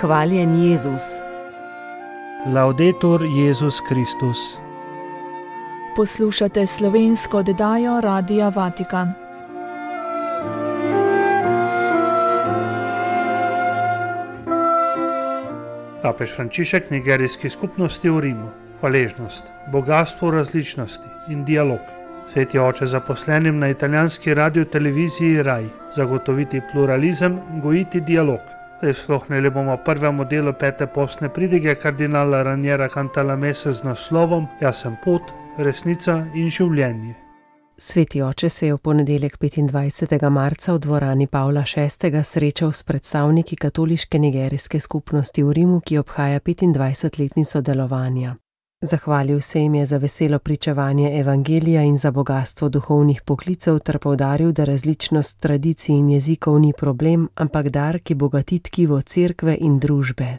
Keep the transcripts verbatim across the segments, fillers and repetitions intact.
Hvaljen Jezus. Laudetur Jezus Kristus. Poslušate slovensko oddajo Radia Vatikan. Papež Frančišek nigerijski skupnosti v Rimu. Hvaležnost, bogastvo različnosti in dialog. Sveti oče zaposlenim na italijanski radioteleviziji Rai zagotoviti pluralizem, gojiti dialog. Prisluhnili bomo prvemu delu pete postne pridige kardinala Raniera Cantalamesse z naslovom Jaz sem pot, resnica in življenje. Sveti oče se je v ponedeljek petindvajsetega marca v dvorani Pavla šestega srečal s predstavniki katoliške nigerijske skupnosti v Rimu, ki obhaja petindvajsetletnico delovanja. Zahvalil se jim je za veselo pričevanje evangelija in za bogastvo duhovnih poklicev ter poudaril, da različnost tradicij in jezikov ni problem, ampak dar, ki bogati tkivo cerkve in družbe.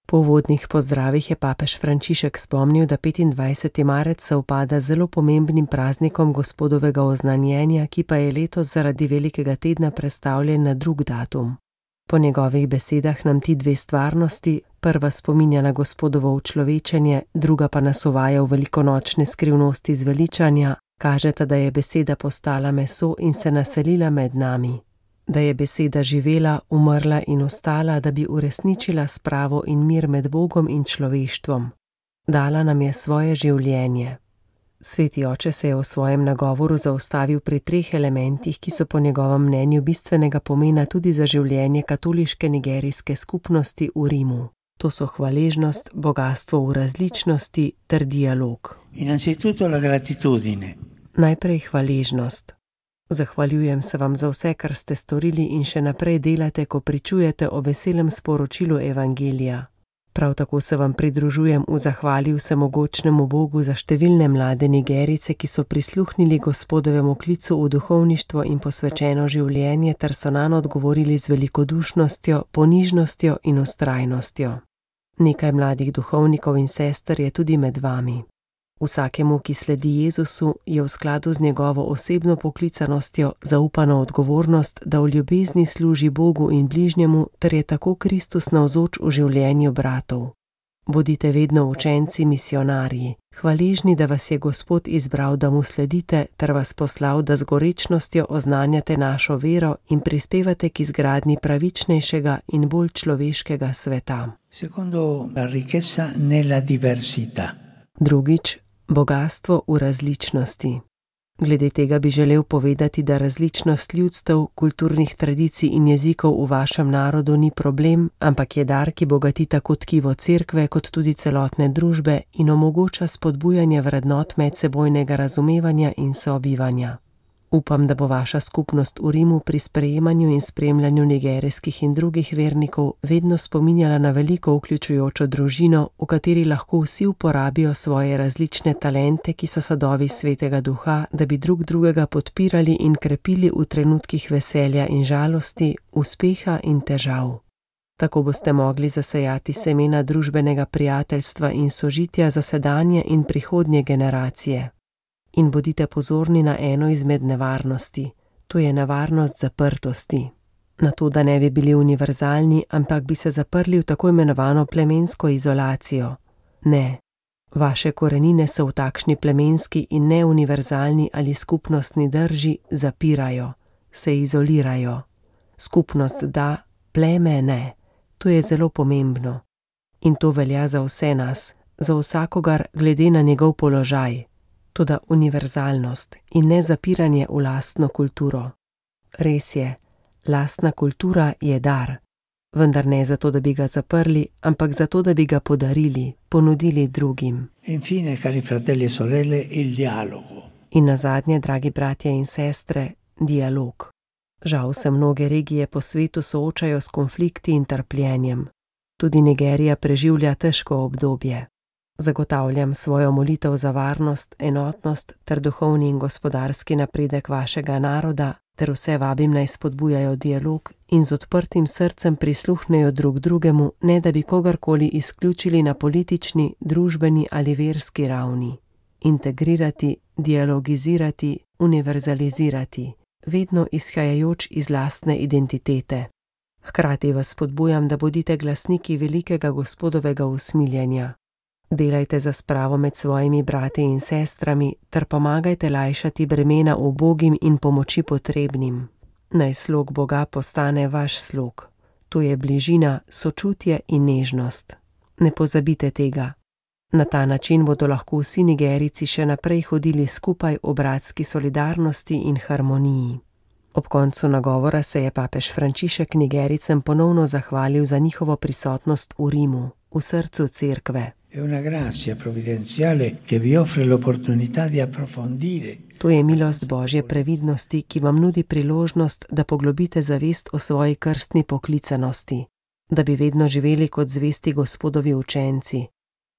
Po uvodnih pozdravih je papež Frančišek spomnil, da petindvajseti marec sovpada z zelo pomembnim praznikom Gospodovega oznanjenja, ki pa je letos zaradi velikega tedna prestavljen na drug datum. Po njegovih besedah nam ti dve stvarnosti, prva spominja na Gospodovo učlovečenje, druga pa nas uvaja v velikonočne skrivnosti zveličanja, kažeta, da je beseda postala meso in se naselila med nami. Da je beseda živela, umrla in ostala, da bi uresničila spravo in mir med Bogom in človeštvom. Dala nam je svoje življenje. Sveti oče se je v svojem nagovoru zaustavil pri treh elementih, ki so po njegovem mnenju bistvenega pomena tudi za življenje katoliške nigerijske skupnosti v Rimu. To so hvaležnost, bogastvo v različnosti ter dialog. Innanzitutto la gratitudine. Najprej hvaležnost. Zahvaljujem se vam za vse, kar ste storili in še naprej delate, ko pričujete o veselem sporočilu evangelija. Prav tako se vam pridružujem v zahvali vsemogočnemu Bogu za številne mlade Nigerice, ki so prisluhnili Gospodovemu klicu v duhovništvo in posvečeno življenje ter so nanj odgovorili z velikodušnostjo, ponižnostjo in vztrajnostjo. Nekaj mladih duhovnikov in sester je tudi med vami. Vsakemu, ki sledi Jezusu, je v skladu z njegovo osebno poklicanostjo zaupana odgovornost, da v ljubezni služi Bogu in bližnjemu, ter je tako Kristus navzoč v življenju bratov. Bodite vedno učenci, misionarji, hvaležni, da vas je Gospod izbral, da mu sledite, ter vas poslal, da z gorečnostjo oznanjate našo vero in prispevate k izgradnji pravičnejšega in bolj človeškega sveta. Secondo la ricchezza nella diversità. Drugič, bogastvo v različnosti. Glede tega bi želel povedati, da različnost ljudstev, kulturnih tradicij in jezikov v vašem narodu ni problem, ampak je dar, ki bogati tako tkivo cerkve kot tudi celotne družbe in omogoča spodbujanje vrednot medsebojnega razumevanja in sobivanja. Upam, da bo vaša skupnost v Rimu pri sprejemanju in spremljanju nigerijskih in drugih vernikov vedno spominjala na veliko vključujočo družino, v kateri lahko vsi uporabijo svoje različne talente, ki so sadovi Svetega Duha, da bi drug drugega podpirali in krepili v trenutkih veselja in žalosti, uspeha in težav. Tako boste mogli zasejati semena družbenega prijateljstva in sožitja za sedanje in prihodnje generacije. In bodite pozorni na eno izmed nevarnosti, to je nevarnost zaprtosti. Na to, da ne bi bili univerzalni, ampak bi se zaprli v tako imenovano plemensko izolacijo. Ne, vaše korenine so v takšni plemenski in neuniverzalni ali skupnostni drži zapirajo, se izolirajo. Skupnost da, pleme ne, to je zelo pomembno. In to velja za vse nas, za vsakogar glede na njegov položaj. Toda univerzalnost in ne zapiranje v lastno kulturo. Res je, lastna kultura je dar, vendar ne zato, da bi ga zaprli, ampak zato, da bi ga podarili, ponudili drugim. Infine, cari fratelli e sorelle, il dialogo. In nazadnje, dragi bratje in sestre, dialog. Žal se mnoge regije po svetu soočajo s konflikti in trpljenjem. Tudi Nigerija preživlja težko obdobje. Zagotavljam svojo molitev za varnost, enotnost ter duhovni in gospodarski napredek vašega naroda, ter vse vabim naj spodbujajo dialog in z odprtim srcem prisluhnejo drug drugemu, ne da bi kogarkoli izključili na politični, družbeni ali verski ravni. Integrirati, dialogizirati, univerzalizirati, vedno izhajajoč iz lastne identitete. Hkrati vas spodbujam, da bodite glasniki velikega Gospodovega usmiljenja. Delajte za spravo med svojimi brati in sestrami ter pomagajte lajšati bremena ubogim in pomoči potrebnim. Naj slog Boga postane vaš slog. To je bližina, sočutje in nežnost. Ne pozabite tega. Na ta način bodo lahko vsi Nigerijci še naprej hodili skupaj v bratski solidarnosti in harmoniji. Ob koncu nagovora se je papež Frančišek Nigerijcem ponovno zahvalil za njihovo prisotnost v Rimu, v srcu cerkve. To je milost Božje previdnosti, ki vam nudi priložnost, da poglobite zavest o svoji krstni poklicanosti, da bi vedno živeli kot zvesti Gospodovi učenci,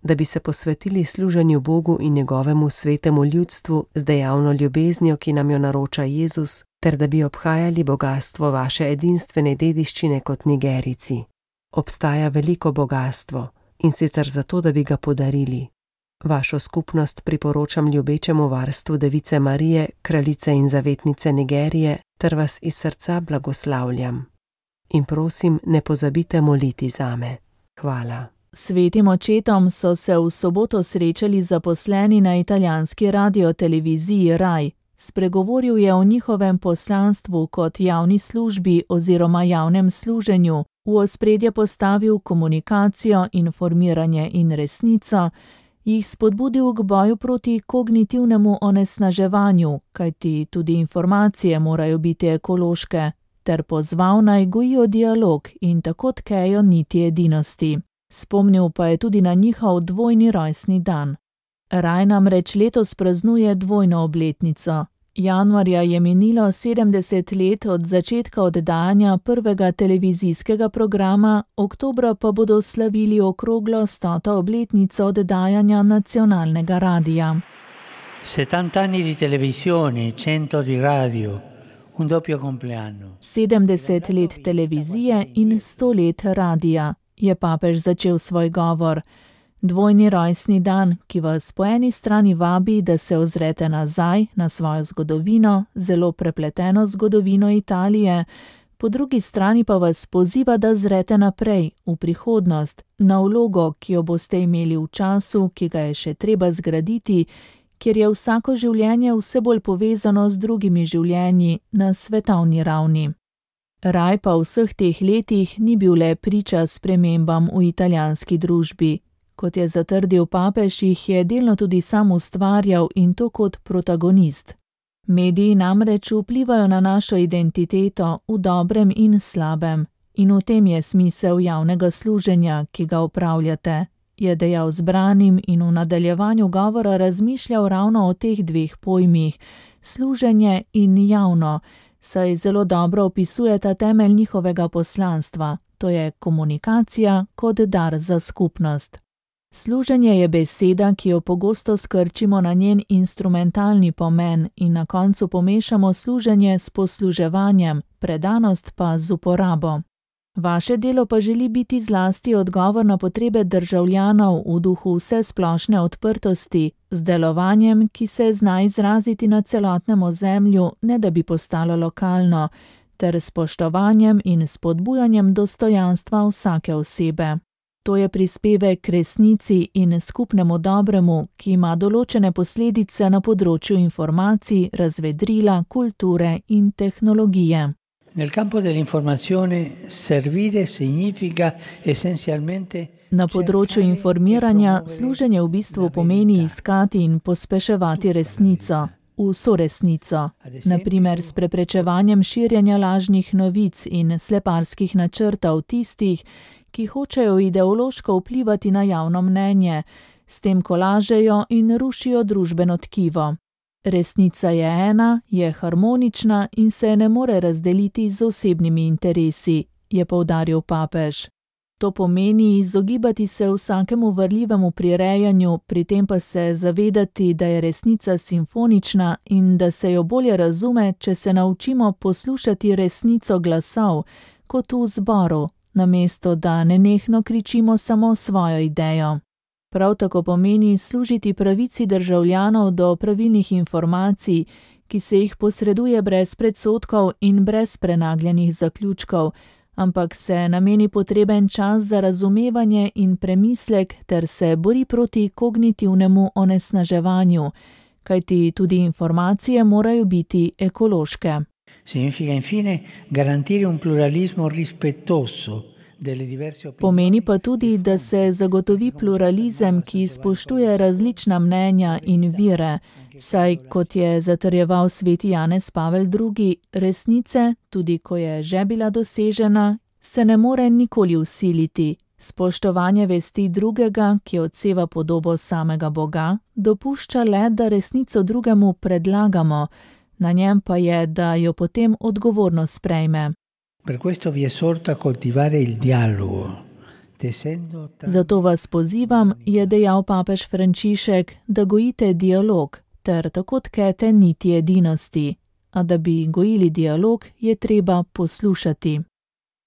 da bi se posvetili služenju Bogu in njegovemu svetemu ljudstvu z dejavno ljubeznijo, ki nam jo naroča Jezus, ter da bi obhajali bogastvo vaše edinstvene dediščine kot Nigerijci. Obstaja veliko bogastvo, in sicer zato, da bi ga podarili. Vašo skupnost priporočam ljubečemu varstvu Device Marije, kraljice in zavetnice Nigerije, ter vas iz srca blagoslavljam. In prosim, ne pozabite moliti zame. Hvala. Svetim očetom so se v soboto srečali zaposleni na italijanski radioteleviziji Rai. Spregovoril je o njihovem poslanstvu kot javni službi oziroma javnem služenju, v ospredje postavil komunikacijo, informiranje in resnico, jih spodbudil k boju proti kognitivnemu onesnaževanju, kajti tudi informacije morajo biti ekološke, ter pozval naj gojijo dialog in tako tkejo niti edinosti. Spomnil pa je tudi na njihov dvojni rojstni dan. Raj namreč letos praznuje dvojno obletnico. Januarja je minilo sedemdeset let od začetka oddajanja prvega televizijskega programa, oktobra pa bodo slavili okroglo stoto obletnico oddajanja nacionalnega radija. settanta anni di televisione, cento di radio, un doppio compleanno. sedemdeset let televizije in sto let radija, je papež začel svoj govor. Dvojni rojstni dan, ki vas po eni strani vabi, da se ozrete nazaj na svojo zgodovino, zelo prepleteno zgodovino Italije, po drugi strani pa vas poziva, da zrete naprej, v prihodnost, na vlogo, ki jo boste imeli v času, ki ga je še treba zgraditi, kjer je vsako življenje vse bolj povezano z drugimi življenji na svetovni ravni. Raj pa v vseh teh letih ni bil le priča spremembam v italijanski družbi. Kot je zatrdil papež, jih je delno tudi sam ustvarjal in to kot protagonist. Mediji namreč vplivajo na našo identiteto v dobrem in slabem, in v tem je smisel javnega služenja, ki ga upravljate, je dejal zbranim in v nadaljevanju govora razmišljal ravno o teh dveh pojmih, služenje in javno, saj zelo dobro opisujeta temelj njihovega poslanstva, to je komunikacija kot dar za skupnost. Služenje je beseda, ki jo pogosto skrčimo na njen instrumentalni pomen in na koncu pomešamo služenje s posluževanjem, predanost pa z uporabo. Vaše delo pa želi biti zlasti odgovor na potrebe državljanov v duhu vsesplošne odprtosti, z delovanjem, ki se zna izraziti na celotnem ozemlju, ne da bi postalo lokalno, ter spoštovanjem in spodbujanjem dostojanstva vsake osebe. To je prispevek k resnici in skupnemu dobremu, ki ima določene posledice na področju informacij, razvedrila, kulture in tehnologije. Nel campo dell'informazione servire significa essenzialmente. Na področju informiranja služenje v bistvu pomeni iskati in pospeševati resnico, vso resnico, na primer s preprečevanjem širjenja lažnih novic in sleparskih načrtov tistih, ki hočejo ideološko vplivati na javno mnenje, s tem ko lažejo in rušijo družbeno tkivo. Resnica je ena, je harmonična in se ne more razdeliti z osebnimi interesi, je poudaril papež. To pomeni izogibati se vsakemu varljivemu prirejanju, pri tem pa se zavedati, da je resnica simfonična in da se jo bolje razume, če se naučimo poslušati resnico glasov, kot v zboru, namesto da nenehno kričimo samo svojo idejo. Prav tako pomeni služiti pravici državljanov do pravilnih informacij, ki se jih posreduje brez predsodkov in brez prenagljenih zaključkov, ampak se nameni potreben čas za razumevanje in premislek ter se bori proti kognitivnemu onesnaževanju, kajti tudi informacije morajo biti ekološke. Significa infine garantire un pluralismo rispettoso. Pomeni pa tudi, da se zagotovi pluralizem, ki spoštuje različna mnenja in vire, saj, kot je zatrjeval sveti Janez Pavel drugi, resnice, tudi ko je že bila dosežena, se ne more nikoli vsiliti. Spoštovanje vesti drugega, ki odseva podobo samega Boga, dopušča le, da resnico drugemu predlagamo, na njem pa je, da jo potem odgovorno sprejme. Per questo vi esorto a coltivare il dialogo. Zato vas pozivam, je dejal papež Frančišek, da gojite dialog, ter tako tkete niti edinosti. A da bi gojili dialog, je treba poslušati.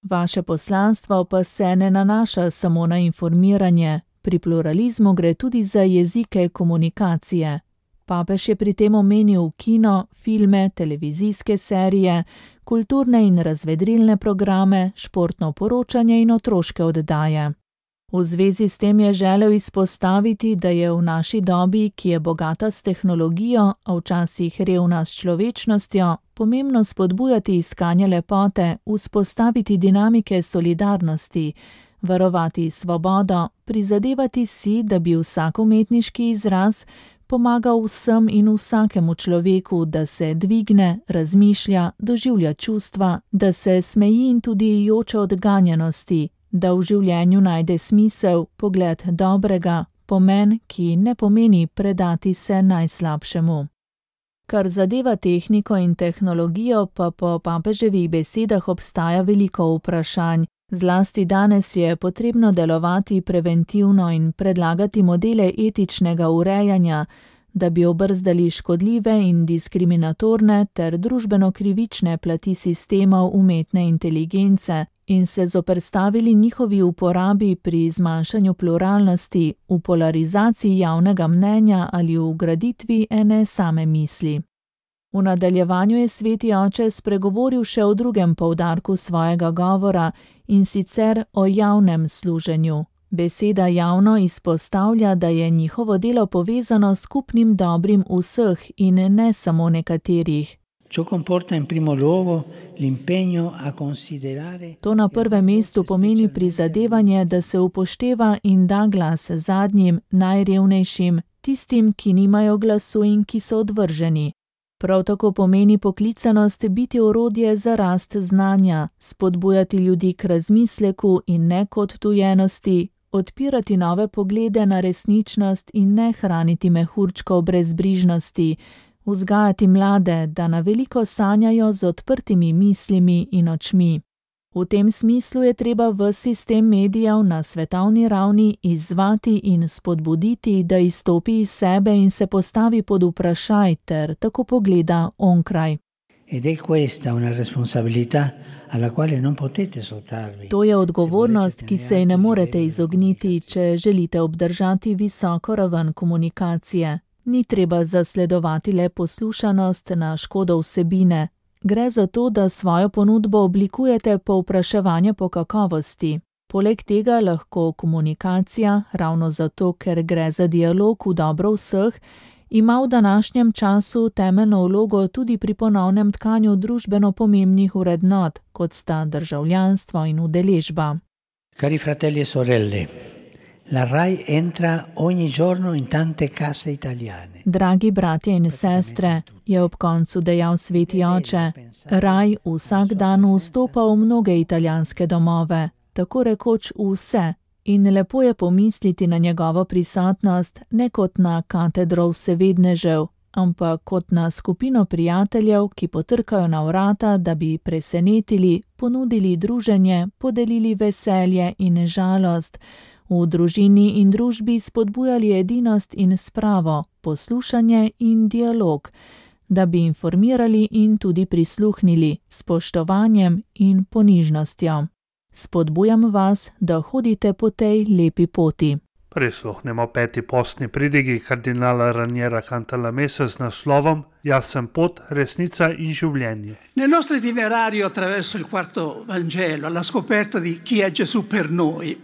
Vaše poslanstvo pa se ne nanaša samo na informiranje, pri pluralizmu gre tudi za jezike komunikacije. Papež je pri tem omenil kino, filme, televizijske serije, kulturne in razvedrilne programe, športno poročanje in otroške oddaje. V zvezi s tem je želel izpostaviti, da je v naši dobi, ki je bogata s tehnologijo, a včasih revna s človečnostjo, pomembno spodbujati iskanje lepote, vzpostaviti dinamike solidarnosti, varovati svobodo, prizadevati si, da bi vsak umetniški izraz pomagal vsem in vsakemu človeku, da se dvigne, razmišlja, doživlja čustva, da se smeji in tudi joče od ganjenosti, da v življenju najde smisel, pogled dobrega, pomen, ki ne pomeni predati se najslabšemu. Kar zadeva tehniko in tehnologijo, pa po papeževih besedah obstaja veliko vprašanj. Zlasti danes je potrebno delovati preventivno in predlagati modele etičnega urejanja, da bi obrzdali škodljive in diskriminatorne ter družbeno krivične plati sistemov umetne inteligence in se zoperstavili njihovi uporabi pri zmanjšanju pluralnosti, v polarizaciji javnega mnenja ali v graditvi ene same misli. V nadaljevanju je sveti oče spregovoril še o drugem poudarku svojega govora, in sicer o javnem služenju. Beseda javno izpostavlja, da je njihovo delo povezano s skupnim dobrim vseh in ne samo nekaterih. To na prvem mestu pomeni prizadevanje, da se upošteva in da glas zadnjim, najrevnejšim, tistim, ki nimajo glasu in ki so odvrženi. Prav tako pomeni poklicanost biti orodje za rast znanja, spodbujati ljudi k razmisleku in ne k odtujenosti, odpirati nove poglede na resničnost in ne hraniti mehurčkov brezbrižnosti, vzgajati mlade, da na veliko sanjajo z odprtimi mislimi in očmi. V tem smislu je treba v sistem medijev na svetovni ravni izzvati in spodbuditi, da izstopi iz sebe in se postavi pod vprašaj ter tako pogleda onkraj. To je odgovornost, ki se ji ne morete izogniti, če želite obdržati visoko raven komunikacije. Ni treba zasledovati le poslušanost na škodo vsebine. Gre za to, da svojo ponudbo oblikujete po vpraševanju po kakovosti. Poleg tega lahko komunikacija, ravno zato, ker gre za dialog v dobro vseh, ima v današnjem času temeljno vlogo tudi pri ponovnem tkanju družbeno pomembnih vrednot, kot sta državljanstvo in udeležba. Cari fratelli e sorelle, la RAI entra ogni giorno in tante case italiane. Dragi bratje in sestre, je ob koncu dejal sveti oče, RAI vsak dan vstopa v mnoge italijanske domove, tako rekoč vse, in lepo je pomisliti na njegovo prisotnost ne kot na katedro vsevednežev, ampak kot na skupino prijateljev, ki potrkajo na vrata, da bi presenetili, ponudili druženje, podelili veselje in žalost, v družini in družbi spodbujali edinost in spravo, poslušanje in dialog, da bi informirali in tudi prisluhnili s spoštovanjem in ponižnostjo. Spodbujam vas, da hodite po tej lepi poti. Prisluhnemo peti postni pridigi kardinala Raniera Cantalamessa z naslovom Jaz sem pot, resnica in življenje. Nel nostro itinerario attraverso il quarto Vangelo, alla scoperta di chi è Gesù per noi,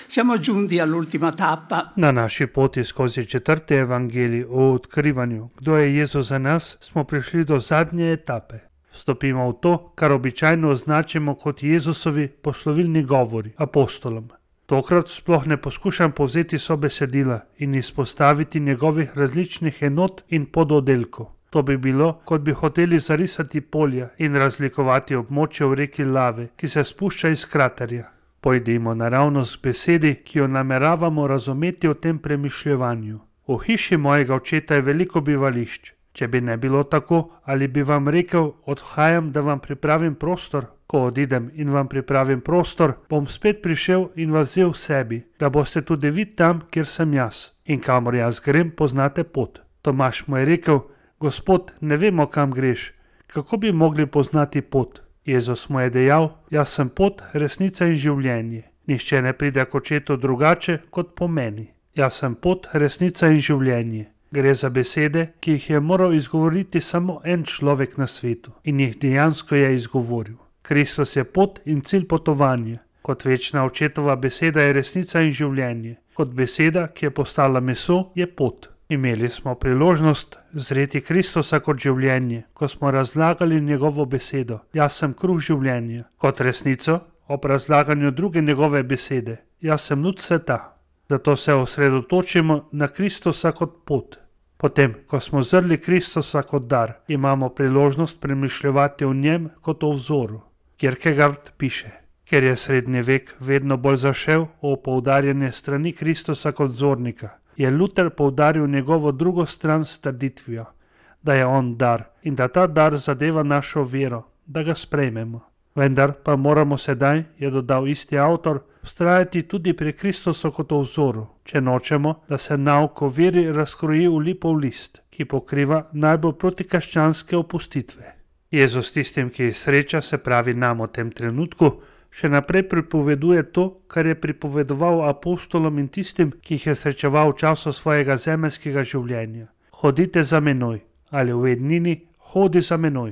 siamo giunti all'ultima tappa. Na naši poti skozi četrti evangelij o odkrivanju, kdo je Jezus za nas, smo prišli do zadnje etape. Vstopimo v to, kar običajno označimo kot Jezusovi poslovilni govori apostolom. Tokrat sploh ne poskušam povzeti sobesedila in izpostaviti njegovih različnih enot in pododdelkov. To bi bilo, kot bi hoteli zarisati polja in razlikovati območje v reki lave, ki se spušča iz kraterja. Pojdimo naravnost k besedi, ki jo nameravamo razumeti v tem premišljevanju. V hiši mojega očeta je veliko bivališč. Če bi ne bilo tako, ali bi vam rekel, odhajam, da vam pripravim prostor? Ko odidem in vam pripravim prostor, bom spet prišel in vas vzel v sebi, da boste tudi vi tam, kjer sem jaz. In kamor jaz grem, poznate pot. Tomaž mu je rekel, Gospod, ne vemo, kam greš. Kako bi mogli poznati pot? Jezus mu je dejal, jaz sem pot, resnica in življenje. Nihče ne pride k očetu drugače kot po meni. Jaz sem pot, resnica in življenje. Gre za besede, ki jih je moral izgovoriti samo en človek na svetu in jih dejansko je izgovoril. Kristus je pot in cilj potovanja. Kot večna očetova beseda je resnica in življenje. Kot beseda, ki je postala meso, je pot. Imeli smo priložnost zreti Kristusa kot življenje, ko smo razlagali njegovo besedo. Jaz sem kruh življenja. Kot resnico ob razlaganju druge njegove besede. Jaz sem luč sveta. Zato se osredotočimo na Kristusa kot pot. Potem, ko smo zrli Kristusa kot dar, imamo priložnost premišljevati o njem kot o vzoru. Kierkegaard piše, ker je srednji vek vedno bolj zašel v poudarjanje strani Kristusa kot vzornika, je Luther poudaril njegovo drugo stran s trditvijo, da je on dar in da ta dar zadeva našo vero, da ga sprejmemo. Vendar pa moramo sedaj, je dodal isti avtor, vztrajati tudi pri Kristusu kot o vzoru, če nočemo, da se nauk o veri razkroji v lipov list, ki pokriva najbolj protikrščanske opustitve. Jezus tistim, ki jih sreča, se pravi nam v tem trenutku, še naprej pripoveduje to, kar je pripovedoval apostolom in tistim, ki jih je srečeval v času svojega zemeljskega življenja. Hodite za menoj, ali v ednini hodi za menoj.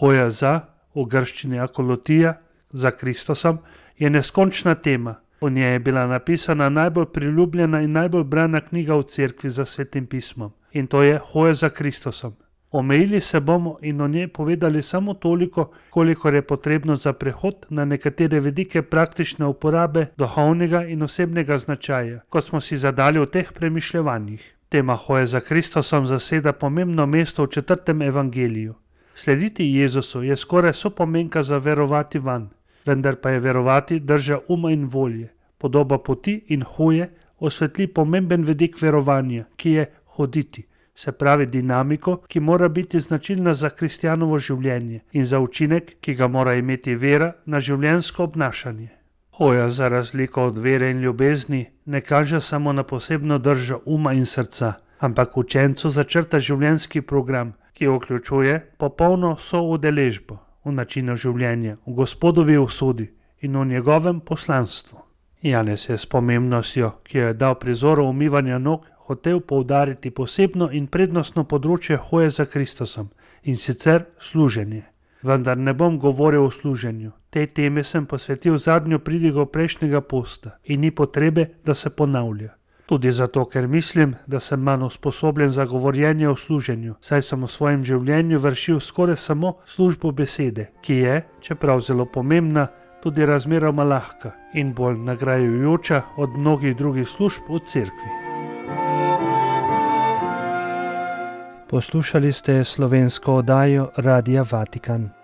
Hoja za, v grščini akolotija, za Kristusom, je neskončna tema. V njej je bila napisana najbolj priljubljena in najbolj brana knjiga v cerkvi za Svetim pismom. In to je Hoja za Kristusom. Omejili se bomo in o njej povedali samo toliko, kolikor je potrebno za prehod na nekatere vidike praktične uporabe duhovnega in osebnega značaja, kot smo si zadali v teh premišljevanjih. Tema Hoje za Kristusom zaseda pomembno mesto v četrtem evangeliju. Slediti Jezusu je skoraj sopomenka za verovati vanj, vendar pa je verovati drža uma in volje. Podoba poti in hoje osvetli pomemben vidik verovanja, ki je hoditi. Se pravi dinamiko, ki mora biti značilna za kristjanovo življenje in za učinek, ki ga mora imeti vera na življenjsko obnašanje. Hoja za razliko od vere in ljubezni ne kaže samo na posebno držo uma in srca, ampak učencu začrta življenjski program, ki vključuje popolno soudeležbo v načinu življenja, v Gospodovi usodi in v njegovem poslanstvu. Janez je s pomembnostjo, ki jo je dal prizoru umivanja nog, hotel poudariti posebno in prednostno področje hoje za Kristusom, in sicer služenje. Vendar ne bom govoril o služenju. Tej teme sem posvetil zadnjo pridigo prejšnjega posta in ni potrebe, da se ponavlja. Tudi zato, ker mislim, da sem manj usposobljen za govorjenje o služenju, saj sem v svojem življenju vršil skoraj samo službo besede, ki je, čeprav zelo pomembna, tudi razmeroma lahka in bolj nagrajujoča od mnogih drugih služb v cerkvi. Poslušali ste slovensko oddajo Radia Vatikan.